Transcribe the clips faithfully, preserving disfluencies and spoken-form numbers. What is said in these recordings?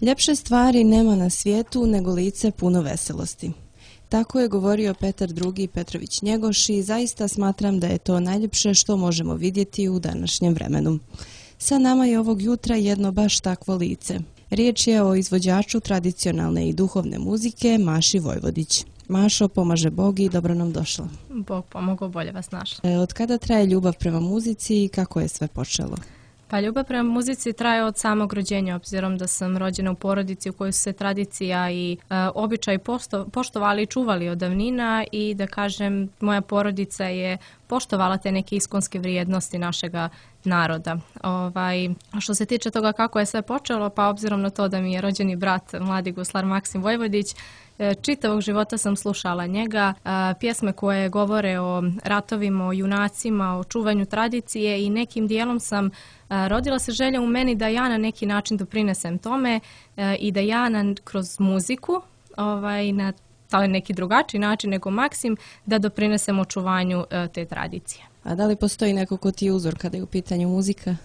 Ljepše stvari nema na svijetu nego lice puno veselosti. Tako je govorio Petar drugi. Petrović Njegoš i zaista smatram da je to najljepše što možemo vidjeti u današnjem vremenu. Sa nama je ovog jutra jedno baš takvo lice. Riječ je o izvođaču tradicionalne i duhovne muzike Maši Vojvodić. Mašo, pomaže Bog i dobro nam došla. Bog pomogao, bolje vas našla. E, od kada traje ljubav prema muzici i kako je sve počelo? Pa ljubav prema muzici traje od samog rođenja, obzirom da sam rođena u porodici u kojoj su se tradicija i e, običaj posto, poštovali i čuvali od davnina i da kažem, moja porodica je poštovala te neke iskonske vrijednosti našega naroda. Ovaj, što se tiče toga kako je sve počelo, pa obzirom na to da mi je rođeni brat, mladi guslar Maksim Vojvodić, čitavog života sam slušala njega, pjesme koje govore o ratovima, o junacima, o čuvanju tradicije i nekim dijelom sam rodila se želja u meni da ja na neki način doprinesem tome i da ja na, kroz muziku, ovaj, na taj neki drugačiji način nego Maksim, da doprinesem očuvanju te tradicije. A da li postoji neko ko ti je uzor kada je u pitanju muzika?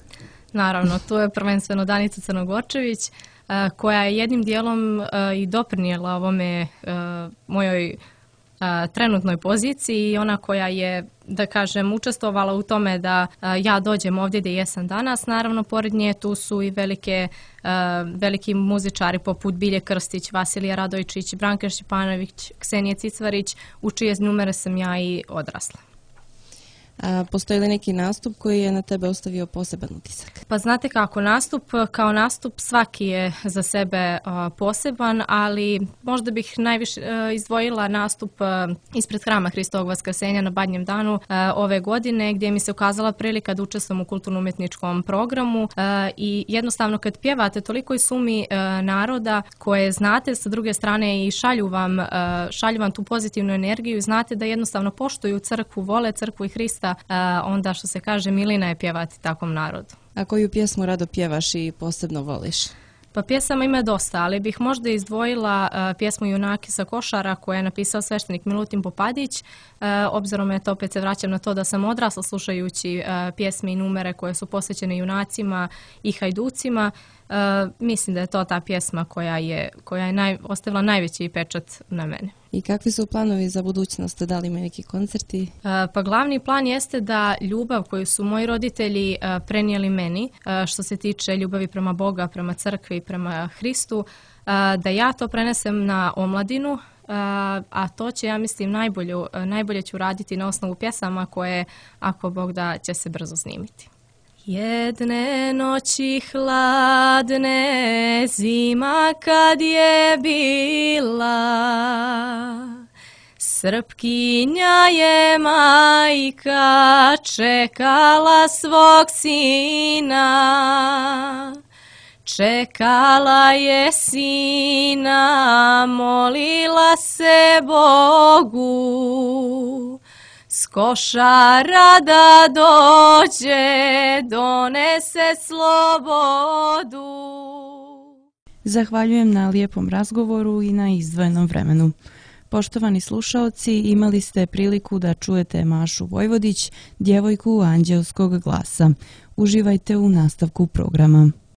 Naravno, tu je prvenstveno Danica Crnogorčević, koja je jednim dijelom i doprinijela ovome mojoj trenutnoj poziciji i ona koja je, da kažem, učestvovala u tome da ja dođem ovdje gdje jesam danas. Naravno, pored nje tu su i velike, veliki muzičari poput Bilje Krstić, Vasilija Radojčić, Branka Šćepanović, Ksenija Cicvarić, u čije numere sam ja i odrasla. A postoji li neki nastup koji je na tebe ostavio poseban utisak? Pa znate kako, nastup kao nastup svaki je za sebe uh, poseban, ali možda bih najviše uh, izdvojila nastup uh, ispred Hrama Hristovog Vaskrsenja na Badnjem danu uh, ove godine, gdje mi se ukazala prilika da učestvujem u kulturno-umjetničkom programu uh, i jednostavno kad pjevate toliko i sumi uh, naroda koje znate sa druge strane i šalju vam, uh, šalju vam tu pozitivnu energiju i znate da jednostavno poštuju crkvu, vole crkvu i Hrista, onda što se kaže milina je pjevati takvom narodu. A koju pjesmu rado pjevaš i posebno voliš? Pa pjesama ima dosta, ali bih možda izdvojila uh, pjesmu Junaki sa Košara koju je napisao sveštenik Milutin Popadić. Uh, obzirom je to, opet se vraćam na to da sam odrasla slušajući uh, pjesme i numere koje su posvećene junacima i hajducima. Uh, mislim da je to ta pjesma koja je, koja je naj, ostavila najveći pečat na mene. I kakvi su planovi za budućnost? Da li ima neki koncerti? Uh, pa glavni plan jeste da ljubav koju su moji roditelji uh, prenijeli meni, uh, što se tiče ljubavi prema Boga, prema crkvi, prema Hristu, uh, da ja to prenesem na omladinu, uh, a to će, ja mislim, najbolje, uh, najbolje ću raditi na osnovu pjesama koje, ako Bog da, će se brzo snimiti. Jedne noći hladne, zima kad je bila, Srpkinja je majka čekala svog sina. Čekala je sina, molila se Bogu, s Košara da dođe, donese slobodu. Zahvaljujem na lijepom razgovoru i na izdvojenom vremenu. Poštovani slušaoci, imali ste priliku da čujete Mašu Vojvodić, djevojku anđelskog glasa. Uživajte u nastavku programa.